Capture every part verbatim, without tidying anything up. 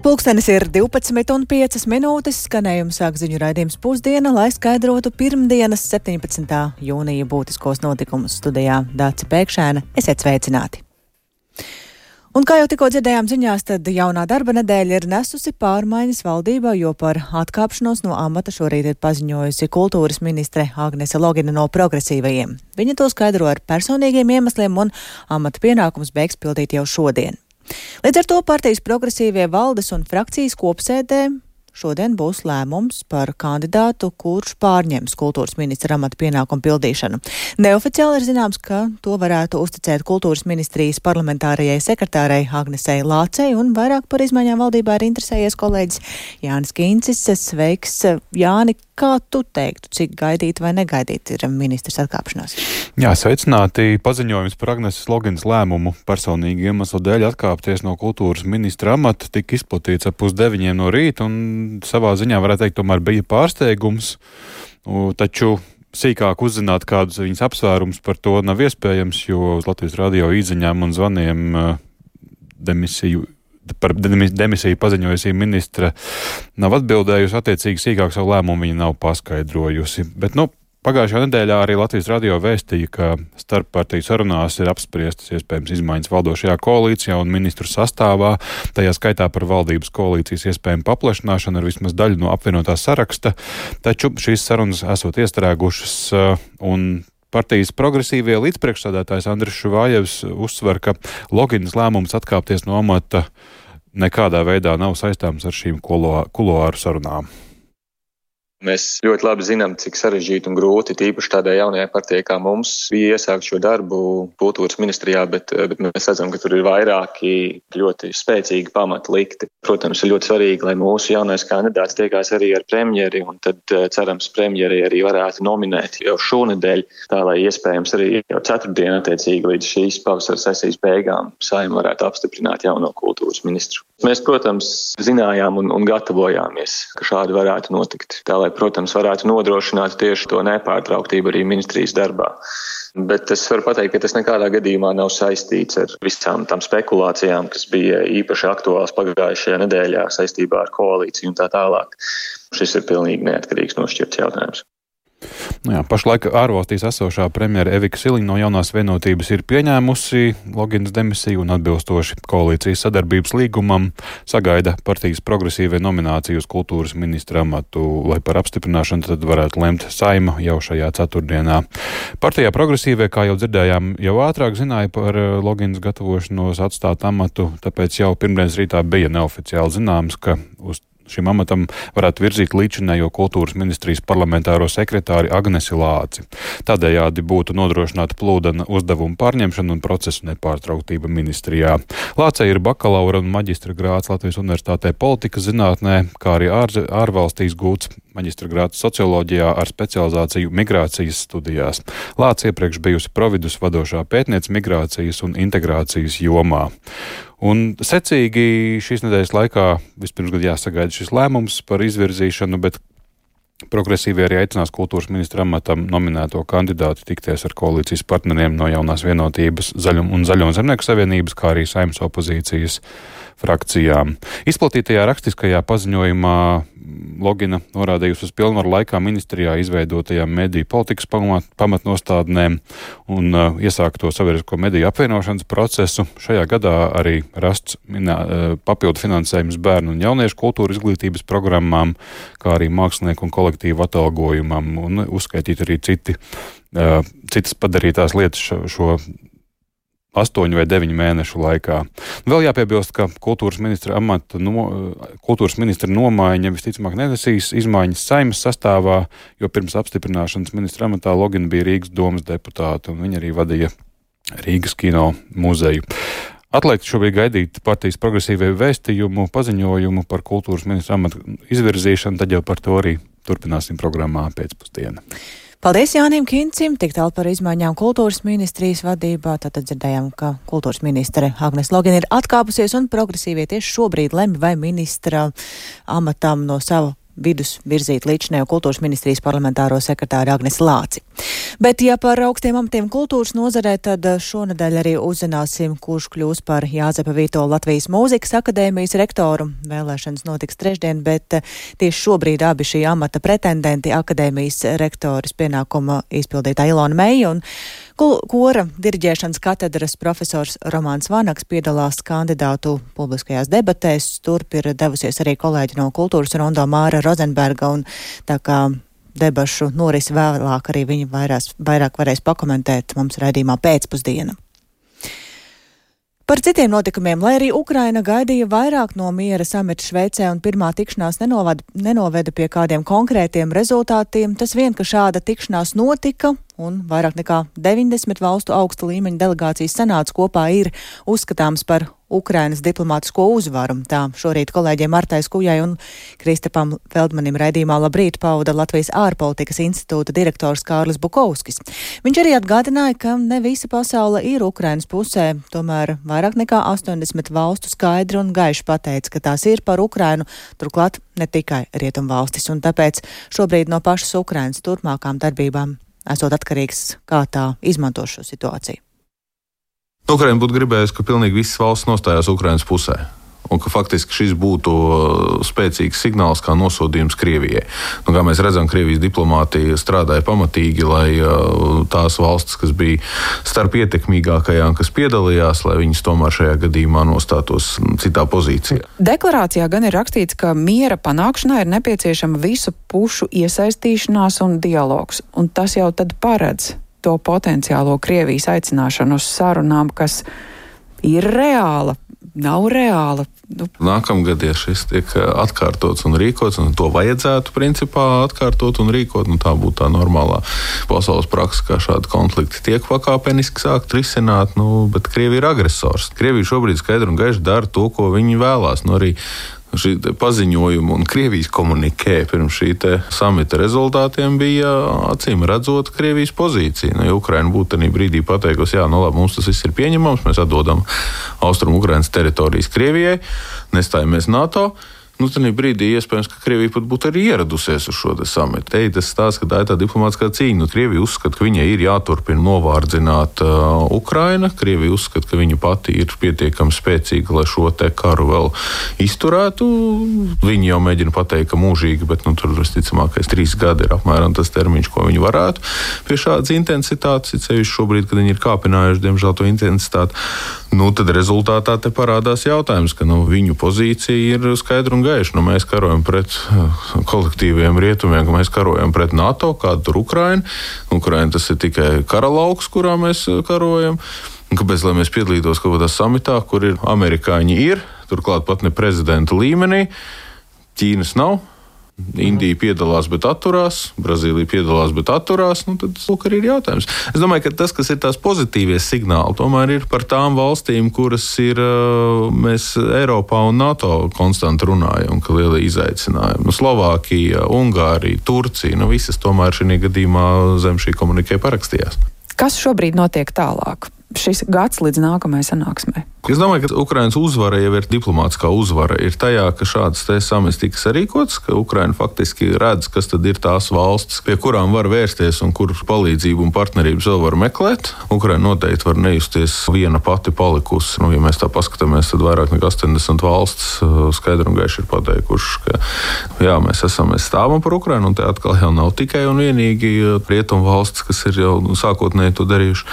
Pulkstenis ir divpadsmit un piecas minūtes, skanējums sāk ziņu raidījums Pusdiena, lai skaidrotu pirmdienas septiņpadsmitā jūnija būtiskos notikumus. Studijā Dāce Pēkšēna, esiet sveicināti! Un kā jau tikko dzirdējām ziņās, tad jaunā darba nedēļa ir nesusi pārmaiņas valdībā, jo par atkāpšanos no amata šorīt ir paziņojusi kultūras ministre Agnese Logina no progresīvajiem. Viņa to skaidro ar personīgiem iemesliem un amata pienākums beigs pildīt jau šodien. Līdz ar to partijas progresīvie valdes un frakcijas kopsēdē šodien būs lēmums par kandidātu, kurš pārņems kultūras ministra amata pienākumu pildīšanu. Neoficiāli ir zināms, ka to varētu uzticēt kultūras ministrijas parlamentārajai sekretārei Agnesei Lācei, un vairāk par izmaiņām valdībā ir interesējies kolēģis Jānis Kīncis. Sveiks, Jāni! Kā tu teiktu, cik gaidīt vai negaidīt ir ministrs atkāpšanās? Jā, sveicināti. Paziņojums par Agneses Loginas lēmumu personīgi iemeslu dēļ atkāpties no kultūras ministra amata tika izplatīts ap pusdeviņiem no rīta, un savā ziņā varētu teikt, tomēr bija pārsteigums, taču sīkāk uzzināt kādus viņas apsvērums par to nav iespējams, jo uz Latvijas radio īziņām un zvaniem demisiju par demisiju paziņojusī ministra nav atbildējusi, attiecīgi sīkāk savu lēmumu viņa nav paskaidrojusi. Bet, nu, pagājušajā nedēļā arī Latvijas radio vēstīja, ka starppartiju sarunās ir apspriestas iespējams izmaiņas valdošajā koalīcijā un ministru sastāvā, tajā skaitā par valdības koalīcijas iespējamu paplašināšanu ar vismaz daļu no apvienotā saraksta, taču šīs sarunas esot iestrēgušas un partijas progresīvie līdzpriekšsēdētājs Andris Šuvājevs uzsver, ka Loginas lēmums atkāpties no amata nekādā veidā nav saistāms ar šīm kuloāru sarunām. Mēs ļoti labi zinām, cik sarežģīti un grūti, tīpaši tādai jaunajai partijai kā mums, bija iesākt šo darbu kultūras ministrijā, bet, bet mēs redzam, ka tur ir vairāki ļoti spēcīgi pamati likti. Protams, ir ļoti svarīgi, lai mūsu jaunais kandidāts tiekās arī ar premjeri, un tad cerams premjeri arī varētu nominēt jau šonedēļ, tā lai iespējams arī jau ceturtdien attiecīgi līdz šīs pavasara sesijas beigām Saeima varētu apstiprināt jauno kultūras ministru. Mēs, protams, zinājām un, un gatavojāmies, ka šādi varētu notikt, tā lai, protams, varētu nodrošināt tieši to nepārtrauktību arī ministrijas darbā. Bet es varu pateikt, ka tas nekādā gadījumā nav saistīts ar visām tām spekulācijām, kas bija īpaši aktuāls pagājušajā nedēļā saistībā ar koalīciju un tā tālāk. Šis ir pilnīgi neatkarīgs nošķirts jautājums. Nu jā, pašlaik ārvalstīs esošā premjera Evika Siliņa no jaunās vienotības ir pieņēmusi Loginas demisiju un atbilstoši koalīcijas sadarbības līgumam sagaida partijas progresīvie nomināciju uz kultūras ministra amatu, lai par apstiprināšanu tad varētu lemt Saeima jau šajā ceturtdienā. Partijā progresīvie, kā jau dzirdējām, jau ātrāk zināja par Loginas gatavošanos atstāt amatu, tāpēc jau pirmdienas rītā bija neoficiāli zināms, ka uz šim amatam varētu virzīt līdzinējo kultūras ministrijas parlamentāro sekretāri Agnesi Lāci. Tādējādi būtu nodrošināta plūdena uzdevuma pārņemšana un procesu nepārtrauktība ministrijā. Lācei ir bakalaura un maģistra grāds Latvijas Universitātē politikas zinātnē, kā arī ār, ārvalstīs gūts maģistra grāds socioloģijā ar specializāciju migrācijas studijās. Lāce iepriekš bijusi Providus vadošā pētniece migrācijas un integrācijas jomā. Un secīgi šīs nedēļas laikā vispirms gadu jāsagaida šis lēmums par izvirzīšanu, bet progresīvie arī aicinās kultūras ministra amatam nominēto kandidātu tikties ar koalīcijas partneriem no jaunās vienotības Zaļum un Zaļo zemnieku savienības, kā arī Saeimas opozīcijas frakcijām. Izplatītajā rakstiskajā paziņojumā Logina norādījusi uz pilnvaru laikā ministrijā izveidotajām mediju politikas pamat, pamatnostādnēm un uh, iesākto sabiedrisko mediju apvienošanas procesu. Šajā gadā arī rasts minā, uh, papildu finansējums bērnu un jauniešu kultūra izglītības programmām, kā arī mākslinieku un kolektīvu atalgojumam un uzskaitīt arī citi, uh, citas padarītās lietas šo, šo astoņu vai deviņu mēnešu laikā. Vēl jāpiebilst, ka kultūras ministra amata no, kultūras ministra nomaiņa visticamāk nenesīs izmaiņas Saeimas sastāvā, jo pirms apstiprināšanas ministra amatā Logina bija Rīgas domas deputāta, un viņa arī vadīja Rīgas kino muzeju. Atliek šobrīd gaidīt partijas progresīvie vēstījumu, paziņojumu par kultūras ministra amata izvirzīšanu, tad jau par to arī turpināsim programmā pēcpusdienā. Paldies Jānim Kincim, tik tālu par izmaiņām kultūras ministrijas vadībā. Tātad dzirdējām, ka kultūras ministre Agnese Logina ir atkāpusies un progresīvie tieši šobrīd lemj, vai ministra amatam no sava vidus virzīt līdzinējo kultūras ministrijas parlamentāro sekretāru Agnesi Lāci. Bet, ja par augstiem amatiem kultūras nozarē, tad šonedēļ arī uzzināsim, kurš kļūs par Jāzepa Vītola Latvijas mūzikas akadēmijas rektoru. Vēlēšanas notiks trešdien, bet tieši šobrīd abi šī amata pretendenti akadēmijas rektoris pienākuma izpildītā Ilona Meija un kora diriģēšanas katedras profesors Romāns Vanaks piedalās kandidātu publiskajās debatēs. Turp ir devusies arī kolēģi no kultūras rondo Māra Rozenberga, un tā kā debašu norisi vēlāk arī viņi vairās, vairāk varēs pakomentēt mums raidījumā pēcpusdiena. Par citiem notikumiem, lai arī Ukraina gaidīja vairāk no miera samita Šveicē un pirmā tikšanās nenovada, nenoveda pie kādiem konkrētiem rezultātiem, tas vien, ka šāda tikšanās notika un vairāk nekā deviņdesmit valstu augsta līmeņa delegācijas sanāca kopā ir uzskatāms par Ukrainas diplomātisko uzvaru. Tā šorīt kolēģiem Martai Skujai un Kristapam Feldmanim raidījumā Labrīt pauda Latvijas ārpolitikas institūta direktors Kārlis Bukovskis. Viņš arī atgādināja, ka ne visa pasaule ir Ukrainas pusē, tomēr vairāk nekā astoņdesmit valstu skaidri un gaiši pateica, ka tās ir par Ukrainu, turklāt ne tikai rietumvalstis, un tāpēc šobrīd no pašas Ukrainas turpmākām darbībām esot atkarīgs, kā tā izmanto šo situāciju. Ukraina būtu gribējusi, ka pilnīgi visas valsts nostājās Ukrainas pusē. Un ka faktiski šis būtu spēcīgs signāls kā nosodījums Krievijai. Nu, kā mēs redzam, Krievijas diplomātija strādāja pamatīgi, lai tās valstis, kas bija starp ietekmīgākajām, kas piedalījās, lai viņas tomēr šajā gadījumā nostātos citā pozīcijā. Deklarācijā gan ir rakstīts, ka miera panākšanā ir nepieciešama visu pušu iesaistīšanās un dialogs. Un tas jau tad paredz to potenciālo Krievijas aicināšanu uz sarunām, kas ir reāla, nav reāla. Nu. Nākamgad, ja šis tiek atkārtots un rīkots, un to vajadzētu principā atkārtot un rīkot, nu tā būtu tā normālā pasaules praksa, kā šādi konflikti tiek pakāpeniski sākt risināt, nu, bet Krievija ir agresors. Krievija šobrīd skaidri un gaiši dara to, ko viņi vēlās. Nu, arī šī paziņojuma un Krievijas komunikē pirms šī samita rezultātiem bija acīm redzot Krievijas pozīcija. Nu, ja Ukraina būtu tajā brīdī pateikusi, jā, nu labi, mums tas viss ir pieņemams, mēs atdodam Austrumu Ukrainas teritorijas Krievijai, nestājamies NATO. Nu, tajā brīdī iespējams, ka Krievija pat būtu arī ieradusies uz šo samitu. Te tas stāsts, ka tā ir tā diplomātiskā cīņa. Nu, Krievija uzskata, ka viņai ir jāturpina novārdzināt uh, Ukraina. Krievija uzskata, ka viņa pati ir pietiekami spēcīga, lai šo te karu vēl izturētu. Viņi jau mēģina pateikt, ka mūžīgi, bet nu, tur visticamākais trīs gadi ir apmēram tas termiņš, ko viņi varētu pie šādas intensitātes. Ir sevišķi šobrīd, kad viņi ir kāpinājuši, diemžēl, to intensitāti. Nu, tad rezultātā te parādās jautājums, ka nu, viņu pozīcija ir skaidra un gaiša. Nu, mēs karojam pret kolektīviem rietumiem, ka mēs karojam pret NATO, kāda tur Ukraina. Ukraina tas ir tikai karalauks, kurā mēs karojam. Un kāpēc, lai mēs piedalītos kaut kādā samitā, kur ir amerikāņi ir, turklāt pat ne prezidenta līmenī, Ķīnas nav. Indija piedalās, bet atturās, Brazīlija piedalās, bet atturās, nu tad lūk arī ir jautājums. Es domāju, ka tas, kas ir tās pozitīvie signāli, tomēr ir par tām valstīm, kuras ir, mēs Eiropā un NATO konstanti runājam, ka liela izaicinājuma. Nu, Slovākija, Ungārija, Turcija, nu visas tomēr šī gadījumā zem šī komunikē parakstījās. Kas šobrīd notiek tālāk? Šis gads līdz nākamajai sanāksmei. Es domāju, ka Ukrainas uzvara jau ir diplomātiskā uzvara. Ir tajā, ka šāds te samits tika sarīkots, ka Ukraina faktiski redz, kas tad ir tās valstis, pie kurām var vērsties un kur palīdzību un partnerības vēl var meklēt. Ukraina noteikti var nejusties viena pati palikusi. Nu, ja mēs tā paskatāmies, tad vairāk nekā astoņdesmit valstis skaidri un gaiši ir pateikuši, ka jā, mēs esam, mēs stāvam par Ukrainu, un te atkal jau nav tikai un vienīgi rietumu valstis, kas ir jau sākotnēji to darījuši.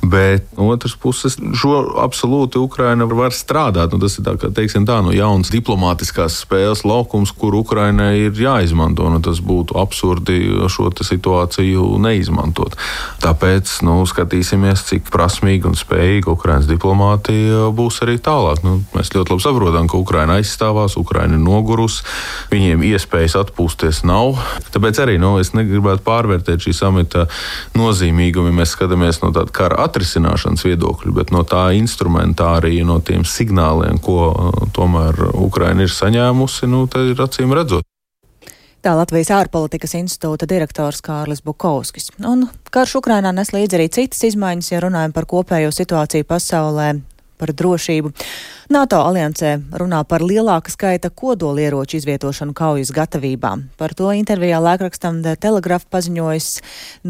Bet no otras puses, šo absolūti Ukraina Ukraina var strādāt, un tas ir tā, kā, teiksim tā, no jaunas diplomātiskās spēles laukums, kur Ukrainai ir jāizmanto, un tas būtu absurdi šo situāciju neizmantot. Tāpēc, nu, skatīsimies, cik prasmīgi un spējīgi Ukrainas diplomātija būs arī tālāk. Nu, mēs ļoti labi saprotam, ka Ukraina aizstāvās, Ukraina ir nogurus, viņiem iespējas atpūsties nav. Tāpēc arī, nu, es negribētu pārvērtēt šī samita nozīmīgumu, ja mēs skatāmies no tāda kara atrisināšanas viedokļa, bet no tā instrumentāri no tiem signāliem, ko tomēr Ukraina ir saņēmusi, nu, tad ir acīm redzot. Tā Latvijas ārpolitikas institūta direktors Kārlis Bukovskis. Un karš Ukrainā nes līdzi arī citas izmaiņas, ja runājam par kopējo situāciju pasaulē. par drošību. NATO aliansē runā par lielāka skaita kodolieroču izvietošanu kaujas gatavībā. Par to intervijā laikrakstam The Telegraph paziņojis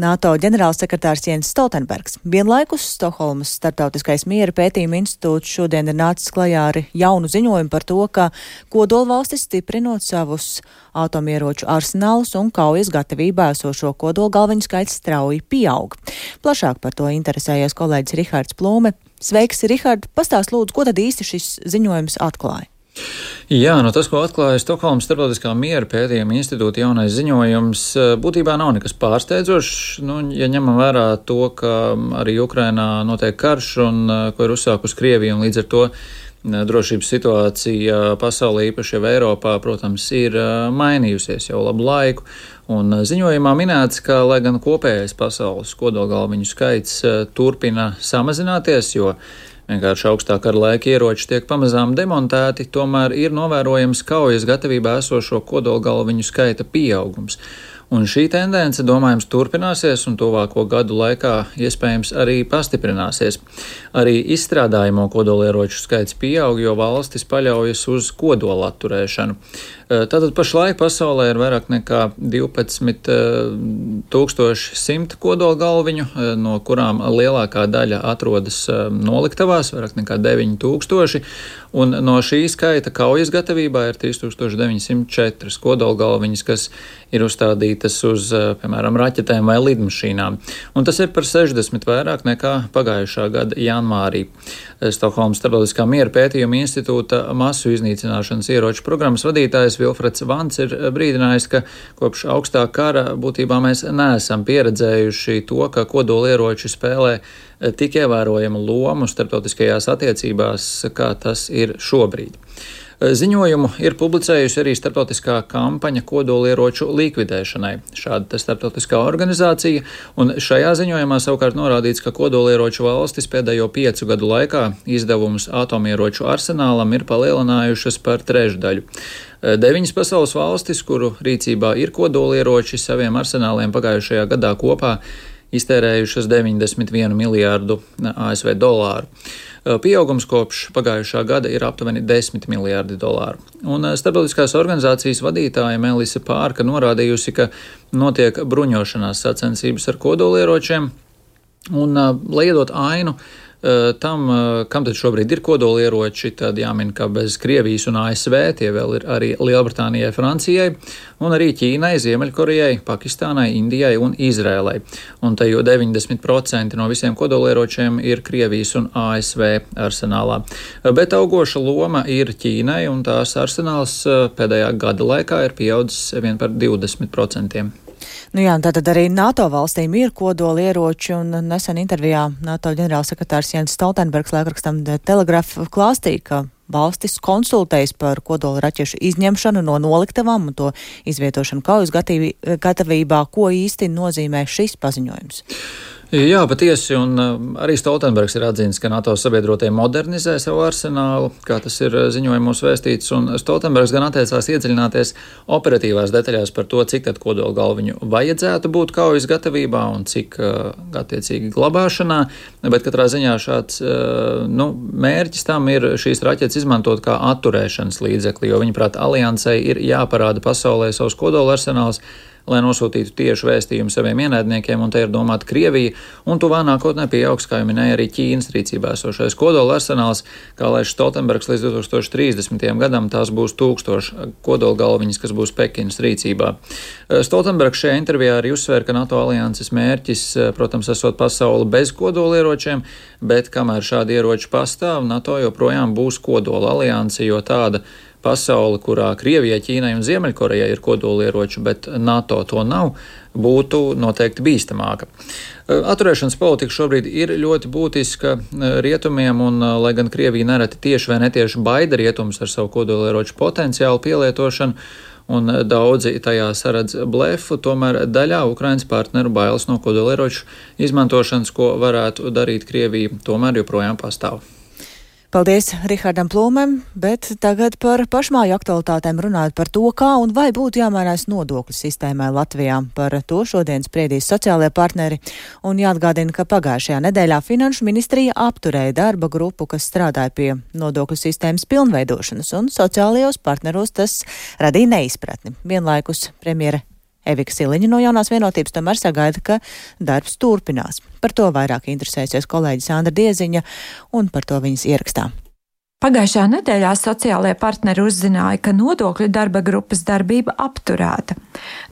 NATO ģenerālsekretārs Jens Stoltenbergs. Vienlaikus Stokholmas Startautiskais miera pētījuma institūts šodien ir nācis klajā ar jaunu ziņojumu par to, ka kodolvalstis stiprinot savus atomieroču arsenālus un kaujas gatavībā esošo kodolgalviņu skaits strauji pieaug. Plašāk par to interesējies kolēģis Rihards Plūme. Sveiks, Rihard! Pastāst lūdzu, ko tad īsti šis ziņojums atklāja? Jā, no tas, ko atklāja Stokholmas Starptautiskā miera pētījuma institūta jaunais ziņojums, būtībā nav nekas pārsteidzošs. Nu, ja ņemam vērā to, ka arī Ukrainā notiek karš un ko ir uzsākusi Krievija, un līdz ar to drošības situācija pasaulē, īpaši jau Eiropā, protams, ir mainījusies jau labu laiku. Un ziņojumā minēts, ka, lai gan kopējais pasaules kodolgalviņu skaits turpina samazināties, jo vienkārši augstā kara laika ieroči tiek pamazām demontēti, tomēr ir novērojams kaujas gatavībā esošo kodolgalviņu skaita pieaugums. Un šī tendence, domājams, turpināsies un tuvāko gadu laikā iespējams arī pastiprināsies. Arī izstrādājamo kodolieroču skaits pieaug, jo valstis paļaujas uz kodola atturēšanu. Tātad pašlaik pasaulē ir vairāk nekā divpadsmit tūkstoši simt kodola galviņu, no kurām lielākā daļa atrodas noliktavās, vairāk nekā deviņi tūkstoši, un no šī skaita kaujas gatavībā ir trīs tūkstoši deviņsimt četri kodola galviņas, kas ir uzstādītas uz, piemēram, raķetēm vai lidmašīnām. Un tas ir par sešdesmit vairāk nekā pagājušā gada janvārī. Stokholmas Starptautiskā miera pētījuma institūta masu iznīcināšanas ieroču programmas vadītājs Vilfreds Vants ir brīdinājis, ka kopš augstā kara būtībā mēs neesam pieredzējuši to, ka kodolieroči spēlē tik ievērojamu lomu starptautiskajās attiecībās, kā tas ir šobrīd. Ziņojumu ir publicējusi arī starptautiskā kampaņa kodolieroču likvidēšanai. Šāda starptautiskā organizācija, un šajā ziņojumā savukārt norādīts, ka kodolieroču valstis pēdējo piecu gadu laikā izdevumus atomieroču arsenālam ir palielinājušas par trešdaļu. Deviņas pasaules valstis, kuru rīcībā ir kodolieroči, saviem arsenāliem pagājušajā gadā kopā iztērējušas deviņdesmit vienu miljārdu A S V dolāru. Pieaugums kopš pagājušā gada ir aptuveni desmit miljārdi dolāru. Un starptautiskās organizācijas vadītāja Melisa Pārka norādījusi, ka notiek bruņošanās sacensības ar kodolieročiem, un, lai iedot ainu tam, kam tad šobrīd ir kodolieroči, tad jāmin, ka bez Krievijas un A S V tie vēl ir arī Lielbritānijai, Francijai, un arī Ķīnai, Ziemeļkorejai, Pakistānai, Indijai un Izrēlai. Un te jau deviņdesmit procenti no visiem kodolieročiem ir Krievijas un A S V arsenālā. Bet augoša loma ir Ķīnai, un tās arsenāls pēdējā gada laikā ir pieaudzis vien par divdesmit procentiem. Nu jā, tātad arī NATO valstīm ir kodolieroči, un nesen intervijā NATO ģenerālsekretārs Jens Stoltenbergs laikrakstam The Telegraph klāstīja, ka valstis konsultējas par kodola raķešu izņemšanu no noliktavām un to izvietošanu kaujas gatavībā, ko īsti nozīmē šis paziņojums. Jā, patiesi, un arī Stoltenbergs ir atzīts, ka NATO sabiedrotie modernizē savu arsenālu, kā tas ir ziņojumos vēstīts, un Stoltenbergs gan atteicās iedziļināties operatīvās detaļās par to, cik tad kodola galviņu vajadzētu būt kaujas gatavībā un cik attiecīgi glabāšanā, bet katrā ziņā šāds nu, mērķis tam ir šīs raķetes izmantot kā atturēšanas līdzekli, jo viņaprāt aliansei ir jāparāda pasaulē savus kodola arsenāls, lai nosūtītu tiešu vēstījumu saviem ienaidniekiem, un te ir domāta Krievija, un tuvā nākotnē pieaugs, kā jau minēja, arī Ķīnas rīcībā esošais kodola arsenāls, kā lēš Stoltenbergs līdz divi tūkstoši trīsdesmitajam gadam, tās būs tūkstoši kodola galviņas, kas būs Pekinas rīcībā. Stoltenbergs šajā intervijā arī uzsvēra, ka NATO alianses mērķis, protams, esot pasauli bez kodolieročiem, bet kamēr šādi ieroči pastāv, NATO joprojām būs kodola alianse, jo tāda pasauli, kurā Krievijai, Ķīnai un Ziemeļkorejai ir kodolieroči, bet NATO to nav, būtu noteikti bīstamāka. Atturēšanas politika šobrīd ir ļoti būtiska rietumiem, un lai gan Krievija nereti tieši vai netieši baida rietumus ar savu kodolieroču potenciālu pielietošanu, un daudzi tajā saredz blefu, tomēr daļā Ukrainas partneru bailes no kodolieroču izmantošanas, ko varētu darīt Krievija, tomēr joprojām pastāv. Paldies Rihardam Plūmēm, bet tagad par pašmāju aktualitātēm runājot par to, kā un vai būtu jāmainās nodokļu sistēmai Latvijā. Par to šodien spriedīs sociālajie partneri un jāatgādina, ka pagājušajā nedēļā Finanšu ministrija apturēja darba grupu, kas strādāja pie nodokļu sistēmas pilnveidošanas, un sociālajos partneros tas radīja neizpratni. Vienlaikus premjere Evika Siliņa no Jaunās vienotības tomēr sagaida, ka darbs turpinās. Par to vairāk interesēsies kolēģi Sandra Dieziņa un par to viņas ierakstā. Pagājušā nedēļā sociālajie partneri uzzināja, ka nodokļu darba grupas darbība apturēta.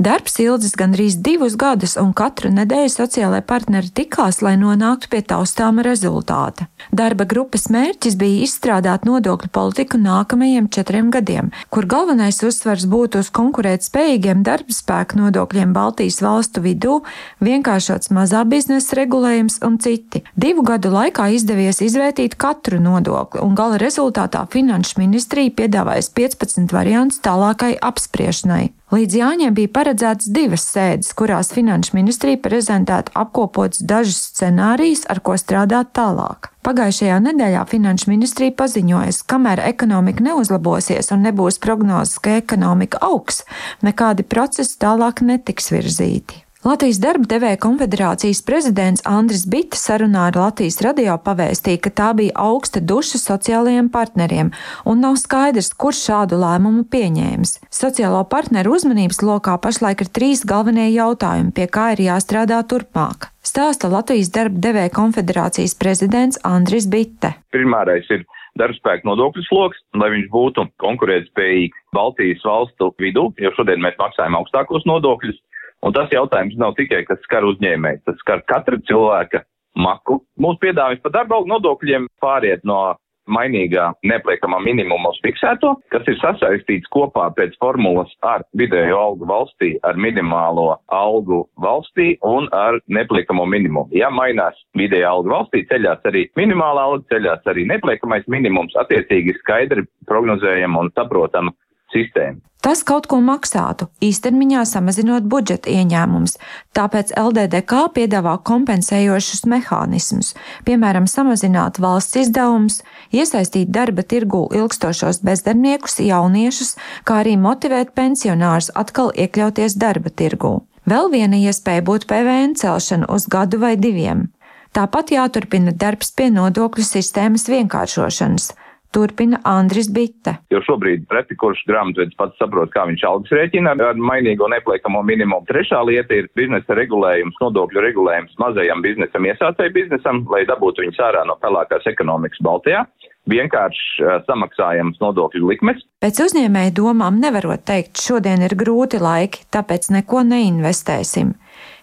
Darbs ilgs gandrīz divus gadus, un katru nedēļu sociālajie partneri tikās, lai nonāktu pie taustāma rezultāta. Darba grupas mērķis bija izstrādāt nodokļu politiku nākamajiem četriem gadiem, kur galvenais uzsvars būtu uz konkurētspējīgiem darba spēku nodokļiem Baltijas valstu vidū, vienkāršots mazā biznesa regulējums un citi. Divu gadu laikā izdevies izvērtīt katru nodokli, un gala rezultātu Rezultātā Finanšu ministrija piedāvājas piecpadsmit variantus tālākai apspriešanai. Līdz Jāņiem bija paredzētas divas sēdes, kurās Finanšu ministrija prezentētu apkopotus dažus scenārijus, ar ko strādāt tālāk. Pagājušajā nedēļā Finanšu ministrija paziņojas, kamēr ekonomika neuzlabosies un nebūs prognozes, ka ekonomika augs, nekādi procesi tālāk netiks virzīti. Latvijas darba devēja konfederācijas prezidents Andris Bita sarunā ar Latvijas radio pavēstīja, ka tā bija augsta duša sociālajiem partneriem un nav skaidrs, kurš šādu lēmumu pieņēmis. Sociālo partneru uzmanības lokā pašlaik ir trīs galvenie jautājumi, pie kā ir jāstrādā turpmāk. Stāsta Latvijas darba devēja konfederācijas prezidents Andris Bita. Primārais ir darbspēka nodokļu sloks, lai viņš būtu konkurētspējīgs Baltijas valstu vidū, jo šodien mēs maksājam augstākos nodokļus. Un tas jautājums nav tikai, kas skar uzņēmēju, tas skar katra cilvēka maku. Mūsu piedāvājums par darba algu nodokļiem pāriet no mainīgā neapliekamā minimuma uz fiksēto, kas ir sasaistīts kopā pēc formulas ar vidējo algu valstī, ar minimālo algu valstī un ar neapliekamo minimumu. Ja mainās vidējā alga valstī, ceļās arī minimālā alga, ceļās arī neapliekamais minimums, attiecīgi skaidri prognozējama un saprotama sistēma. Tas kaut ko maksātu, īstermiņā samazinot budžeta ieņēmumus, tāpēc L D D K piedāvā kompensējošus mehānismus, piemēram, samazināt valsts izdevumus, iesaistīt darba tirgū ilgstošos bezdarbniekus, jauniešus, kā arī motivēt pensionārus atkal iekļauties darba tirgū. Vēl viena iespēja būtu P V N celšana uz gadu vai diviem. Tāpat jāturpina darbs pie nodokļu sistēmas vienkāršošanas. Turpina Andris Bita. Jo šobrīd reti kurš grāmatvedis pats saprot, kā viņš algas rēķina ar mainīgo neapliekamo minimumu. Trešā lieta ir biznesa regulējums, nodokļu regulējums mazajam biznesam, iesācēju biznesam, lai dabūtu viņus ārā no pelēkās ekonomikas Baltijā. Vienkārši uh, samaksājams nodokļu likmes. Pēc uzņēmēju domām nevarot teikt, šodien ir grūti laiki, tāpēc neko neinvestēsim.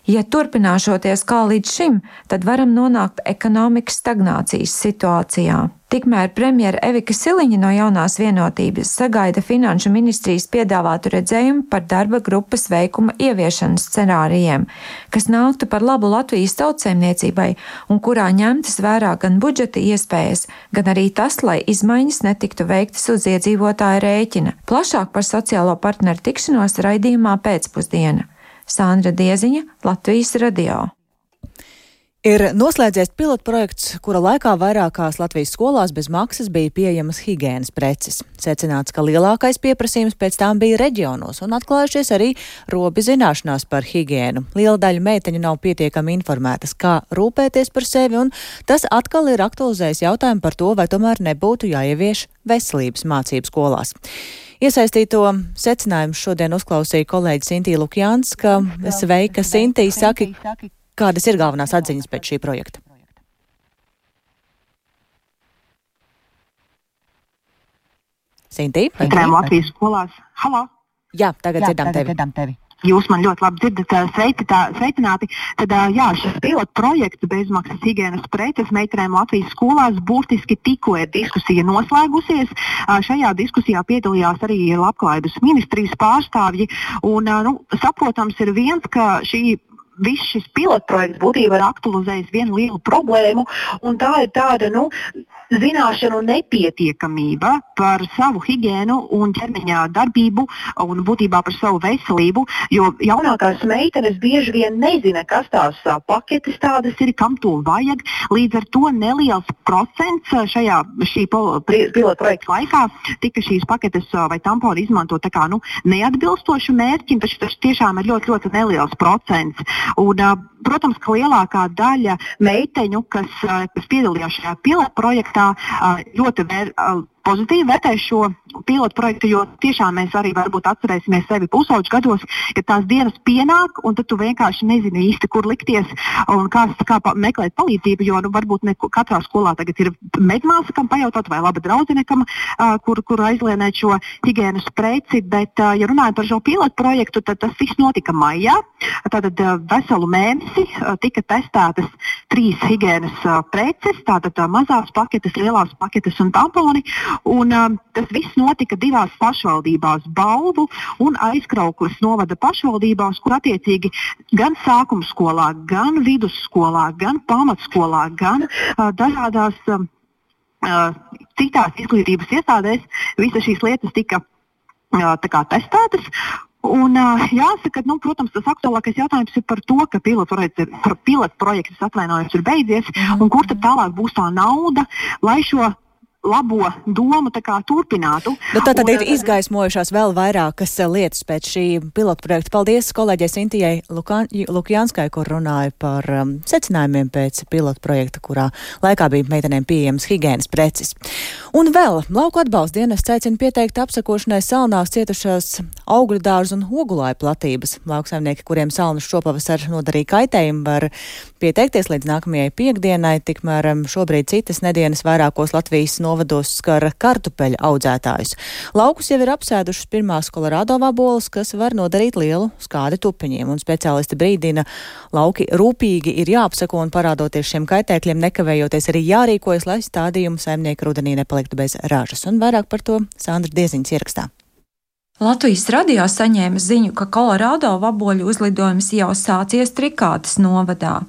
Ja turpināšoties kā līdz šim, tad varam nonākt ekonomikas stagnācijas situācijā. Tikmēr premjera Evika Siliņa no Jaunās vienotības sagaida Finanšu ministrijas piedāvātu redzējumu par darba grupas veikuma ieviešanas scenārijiem, kas nāktu par labu Latvijas tautsaimniecībai un kurā ņemtas vērā gan budžeta iespējas, gan arī tas, lai izmaiņas netiktu veiktas uz iedzīvotāja rēķina. Plašāk par sociālo partneru tikšanos raidījumā pēcpusdiena. Sandra Dieziņa, Latvijas radio. Ir noslēdzies pilotprojekts, kura laikā vairākās Latvijas skolās bez maksas bija pieejamas higienas preces. Secināts, ka lielākais pieprasījums pēc tām bija reģionos un atklājušies arī robi zināšanās par higienu. Liela daļa meiteņu nav pietiekami informētas, kā rūpēties par sevi, un tas atkal ir aktualizējis jautājumu par to, vai tomēr nebūtu jāievieš veselības mācību skolās. Iesaistīto secinājumu šodien uzklausīja kolēģi Sintī Lukjānska. Sveika, Sintī, saki, kādas ir galvenās atziņas pēc šī projekta? Sintī? Latvijas skolās. Halo? Jā, tagad Jā, dzirdam tagad tevi. Dzirdam tevi. Jūs man ļoti labi dzirdat, sveiki, tā, sveicināti. Tad, jā, šis pilotu projekts bezmaksas higienas preces meitenēm Latvijas skolās būtiski tikko ir diskusija noslēgusies. Šajā diskusijā piedalījās arī Labklājības ministrijas pārstāvji. Un, nu, saprotams ir viens, ka šī viss šis pilotprojekts būtībā ir aktualizējis vienu lielu problēmu, un tā ir tāda, nu, zināšanu nepietiekamība par savu higiēnu un ķermeņa darbību un būtībā par savu veselību, jo jaunākās meitenes bieži vien nezina, kas tās paketes tādas ir, kam to vajag. Līdz ar to neliels procents šajā šī pilotprojekta laikā tika šīs paketes vai tamponi izmanto tā kā, nu, neatbilstoši mērķim, taču tas tiešām ir ļoti, ļoti neliels procents. Un, protams, ka lielākā daļa meiteņu, kas, kas piedalījās šajā pilotprojektā, ļoti vēr, pozitīvi vērtē šo pilotu projektu, jo tiešām mēs arī varbūt atcerēsimies sevi pusauģu gados, ja tās dienas pienāk, un tad tu vienkārši nezini īsti, kur likties un kā, kā meklēt palīdzību, jo nu, varbūt ne katrā skolā tagad ir medmāsa, kam pajautāt, vai laba draudzene, kam, uh, kur, kur aizlienēt šo higienas preci, bet, uh, ja runājam par šo pilotu projektu, tad tas viss notika maijā. Tātad uh, veselu mēnesi uh, tika testētas trīs higienas uh, preces, tātad uh, mazās paketes, lielās paketes un tamponi. Un um, tas viss notika divās pašvaldībās, Balvu un Aizkraukles novada pašvaldībās, kur attiecīgi gan sākuma skolā, gan vidusskolā, gan pamatskolā, gan uh, dažādās um, uh, citās izglītības iestādēs visas šīs lietas tika uh, tā kā testētas. Un, uh, jāsaka, nu, protams, tas aktuālākais jautājums ir par to, ka pilotprojekts ir, pilotprojekts atvainojums ir beidzies, un kur tad tālāk būs tā nauda, lai šo labo domu tā kā turpinātu. Bet tā tad ir izgaismojušās vēl vairākas lietas pēc šī pilotprojekta. Paldies kolēģei Sintijai Lukjanskai, kur runāja par um, secinājumiem pēc pilotprojekta, kurā laikā bija meitenēm pieejams higienas preces. Un vēl lauku atbalsta dienests aicina pieteikt apsakošanai salnās cietušās augļu dārzu un ogulāju platības. Lauksaimnieki, kuriem salnas šopavasar nodarīja kaitējumu, var pieteikties līdz nākamajai piekdienai, tikmēr šobrīd citas nedēļas vairākos Latvijas novados skar kartupeļu audzētājus. Laukus jau ir apsēdušas pirmās Kolorādo vaboles, kas var nodarīt lielu skādi tupeņiem, un speciālisti brīdina, lauki rūpīgi ir jāapsako un parādoties šiem kaitēkļiem nekavējoties arī jārīkojas, lai stādījumu saimnieki rudenī nepaliktu bez ražas. Un vairāk par to Sandra Dieziņas ierakstā. Latvijas radio saņēma ziņu, ka Kolorādo vaboļu uzlidojums jau sācies Trikātes novadā.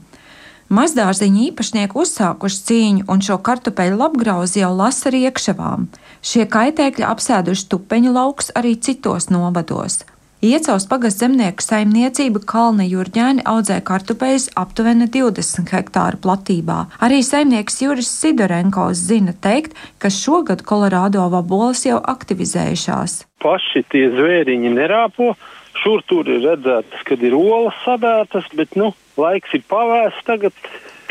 Mazdārziņu īpašnieki uzsākuši cīņu un šo kartupeļu labgrauzi jau lasa riekšavām. Šie kaitēkļi apsēduši tupeņu laukus arī citos novados. Iecavas pagasta zemnieku saimniecība Kalna Jurģēni audzē kartupeļus aptuveni divdesmit hektāru platībā. Arī saimnieks Juris Sidorenkovs zina teikt, ka šogad Kolorādo vaboles jau aktivizējušās. Paši tie zvēriņi nerāpo. Šur tur ir redzētas, kad ir olas sadētas, bet, nu, laiks ir pavēsts tagad,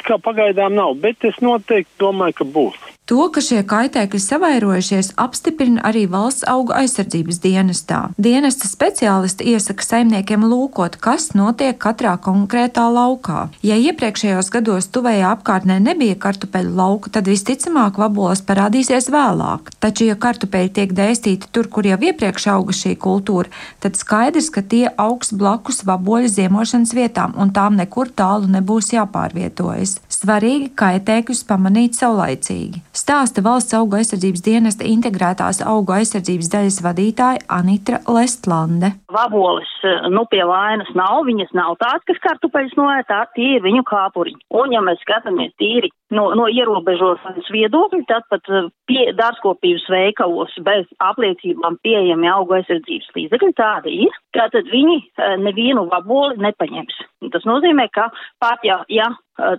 kā pagaidām nav, bet es noteikti domāju, ka būs. To, ka šie kaitēkļi savairojušies, apstiprina arī Valsts augu aizsardzības dienestā. Dienesta speciālisti iesaka saimniekiem lūkot, kas notiek katrā konkrētā laukā. Ja iepriekšējos gados tuvējā apkārtnē nebija kartupeļu lauku, tad visticamāk vaboles parādīsies vēlāk. Taču, ja kartupeļi tiek dēstīti tur, kur jau iepriekš auga šī kultūra, tad skaidrs, ka tie augs blakus vaboļu ziemošanas vietām un tām nekur tālu nebūs jāpārvietojas. Svarīgi kaitēkļus pamanīt saulaicīgi. Stāsta Valsts augu aizsardzības dienesta integrētās augu aizsardzības daļas vadītāja Anitra Lestlande. Vaboles, nu, pie vainas nav, viņas nav tāds, kas kartupeļus noēd, tā tie ir viņu kāpuriņi. Un, ja mēs skatāmies tīri no, no ierobežošanas viedokļa, tad pat pie dārzkopības veikalos bez apliecībām pieejami augu aizsardzības līdzekļi tādi ir, ka tad viņi nevienu vaboli nepaņems. Tas nozīmē, ka pat ja, ja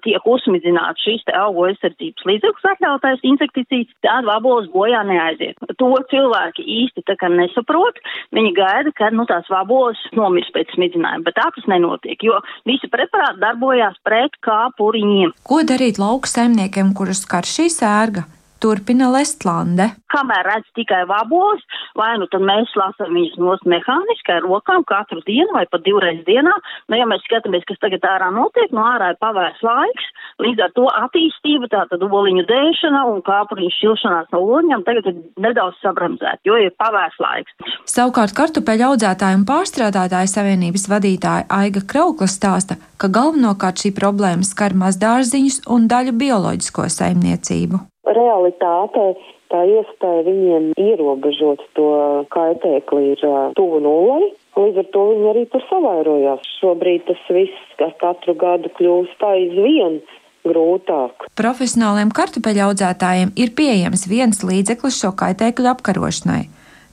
tiek uzsmidzināts šis te augu aizsardzības līdzeklis atļautais insekticīds, tad vaboles bojā neaiziet. To cilvēki īsti tā kā nesaprot. Viņi gaida, ka nu, tās vaboles nomirs pēc smidzinājuma, bet tā tas nenotiek, jo visi preparāti darbojās pret kāpuriņiem. Ko darīt lauku saimniekiem, kurus skar šī sērga? Turpina Lestlande. Kamēr redz tikai vaboles, vai nu tad mēs lasām viņus nost mehāniski ar rokām katru dienu vai pat divreiz dienā. Nu, ja mēs skatāmies, kas tagad ārā notiek, no ārā ir pavērs laiks, līdz ar to attīstība, tātad oliņu dēšana un kāpuriņu šķilšanās no oliņām tagad ir nedaudz sabramzēta, jo ir pavērs laiks. Savukārt kartupeļu audzētāju un pārstrādātāju savienības vadītāja Aiga Kraukla stāsta, ka galvenokārt šī problēma skar mazdārziņus un daļu bioloģisko saimniecību. Realitāte, tā iespēja viņiem ierobežot to kaitēkli ir tuvu nulei. Līdz ar to viņi arī tur savairojās. Šobrīd tas viss ar katru gadu kļūst aizvien grūtāk. Profesionāliem kartupeļu audzētājiem ir pieejams viens līdzeklis šo kaitēkļu apkarošanai,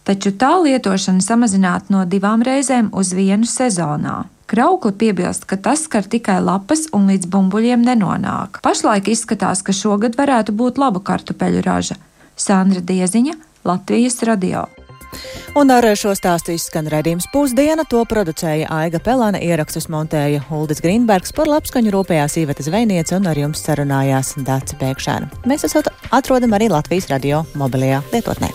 taču tā lietošana samazināta no divām reizēm uz vienu sezonā. Kraukli piebilst, ka tas skar tikai lapas un līdz bumbuļiem nenonāk. Pašlaik izskatās, ka šogad varētu būt laba kartupeļu raža. Sandra Dieziņa, Latvijas radio. Un ar šo stāstu izskan raidījums Pusdiena, to producēja Aiga Pelāne, ierakstus montēja Uldis Grīnbergs, par labskaņu rūpējās Iveta Zvejniece un ar jums sarunājās Dace Pēkšēna. Mēs esot atrodam arī Latvijas radio mobilajā lietotnē.